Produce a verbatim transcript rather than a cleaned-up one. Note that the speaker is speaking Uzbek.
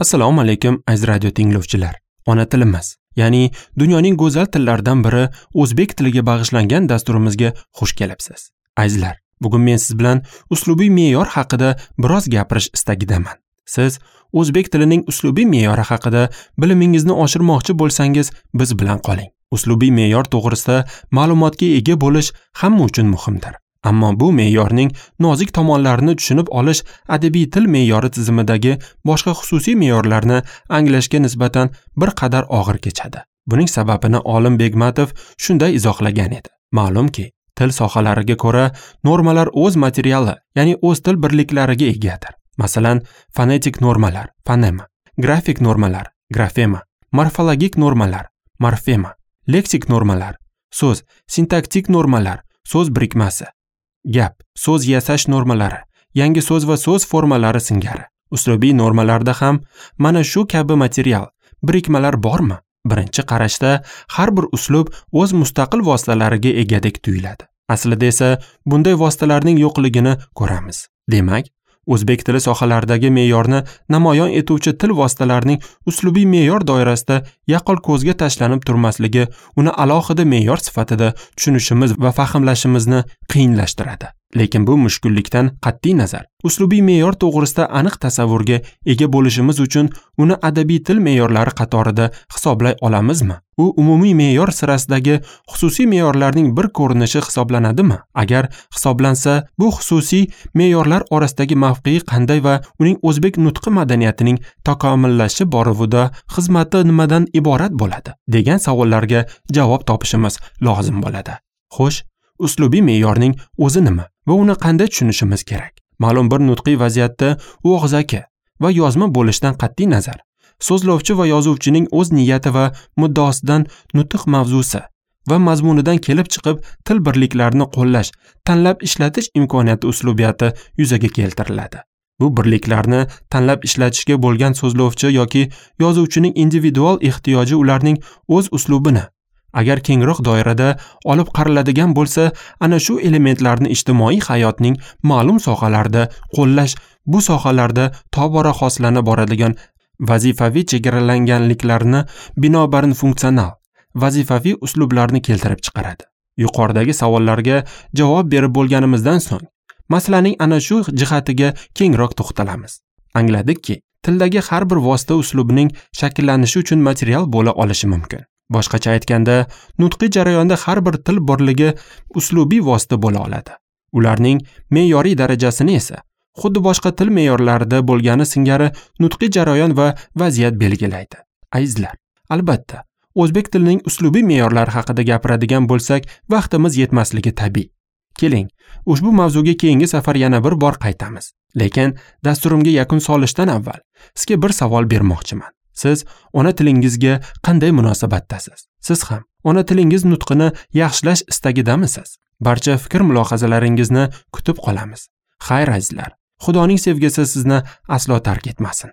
Assalomu alaykum aziz radio tinglovchilar. Ona tilimiz, ya'ni dunyoning go'zal tillaridan biri o'zbek tiliga bag'ishlangan dasturimizga xush kelibsiz. Azizlar, bugun men siz bilan uslubiy me'yor haqida biroz gapirish istagidaman. Siz o'zbek tilining uslubiy me'yori haqida bilimingizni oshirmoqchi bo'lsangiz, biz bilan qoling. Uslubiy me'yor to'g'risida ma'lumotga ega bo'lish hamma uchun muhimdir. Ammo bu me'yorning nozik tomonlarini tushunib olish adabiy til me'yori tizimidagi boshqa xususiy me'yorlarni anglashga nisbatan bir qadar og'ir kechadi. Buning sababini olim Begmatov shunday izohlagan edi. Ma'lumki, til sohalariga ko'ra normalar o'z materiali, ya'ni o'z til birliklariga egadir. Masalan, fonetik normalar, fonema, grafik normalar, grafema, morfologik normalar, morfema, leksik normalar, so'z, sintaktik normalar, so'z birikmasi, gap, so'z yasash normalari, yangi so'z va so'z formalari singari. Uslubiy normallarda ham mana shu kabi material, birikmalar bormi? Birinchi qarashda har bir uslub o'z mustaqil vositalariga egadek tuyuladi. Aslida esa bunday vositalarning yo'qligini ko'ramiz. Demak, o'zbek tili sohalaridagi me'yorni namoyon etuvchi til vositalarining uslubiy me'yor doirasida yaqqol ko'zga tashlanib turmasligi uni alohida me'yor sifatida tushunishimiz va fahmlashimizni qiyinlashtiradi. Lekin bu mushkullikdan qat'iy nazar, uslubiy me'yor to'g'risida aniq tasavvurga ega bo'lishimiz uchun uni adabiy til me'yorlari qatorida hisoblay olamizmi? U umumiy me'yor sirasidagi xususiy me'yorlarning bir ko'rinishi hisoblanadimi? Agar hisoblansa, bu xususiy me'yorlar orasidagi mavqei qanday va uning o'zbek nutqi madaniyatining takomillashishi borasida xizmati nimadan iborat bo'ladi degan savollarga javob topishimiz lozim bo'ladi. Xo'sh, uslubiy me'yorning o'zi nima va uni qanday tushunishimiz kerak? Ma'lum bir nutqiy vaziyatda u og'zaki va yozma bo'lishidan qat'iy nazar, so'zlovchi va yozuvchining o'z niyati va muddaosidan nutq mavzusi va mazmunidan kelib chiqib til birliklarini qo'llash, tanlab ishlatish imkoniyati uslubiyati yuzaga keltiriladi. Bu birliklarni tanlab ishlatishga bo'lgan so'zlovchi yoki yozuvchining individual ehtiyoji ularning o'z uslubini, agar kengroq doirada olib qaraladigan bo'lsa, ana shu elementlarni ijtimoiy hayotning ma'lum sohalarida qo'llash, bu sohalarda tobora xoslana boradigan vazifaviy chegaralanganliklarni, binobarin funksional vazifaviy uslublarni keltirib chiqaradi. Yuqoridagi savollarga javob berib bo'lganimizdan so'ng, masalaning ana shu jihatiga kengroq to'xtalamiz. Angladikki, tildagi har bir vosita uslubining shakllanishi uchun material bo'la olishi mumkin. Boshqacha aytganda, nutqiy jarayonda har bir til birligi uslubiy vosita bo'la oladi. Ularning me'yoriy darajasini esa xuddi boshqa til me'yorlarida bo'lgani singari nutqiy jarayon va vaziyat belgilaydi. Azizlar, albatta, o'zbek tilining uslubiy me'yorlari haqida gapiradigan bo'lsak, vaqtimiz yetmasligi tabiiy. Keling, ushbu mavzuga keyingi safar yana bir bor qaytamiz. Lekin dasturimga yakun solishdan avval sizga bir savol bermoqchiman. Siz ona tilingizga qanday munosabatdasiz? Siz ham ona tilingiz nutqini yaxshilash istagidamisiz? Barcha fikr mulohazalaringizni kutib qolamiz. Xayr azizlar, Xudoning sevgisi sizni aslo tark etmasin.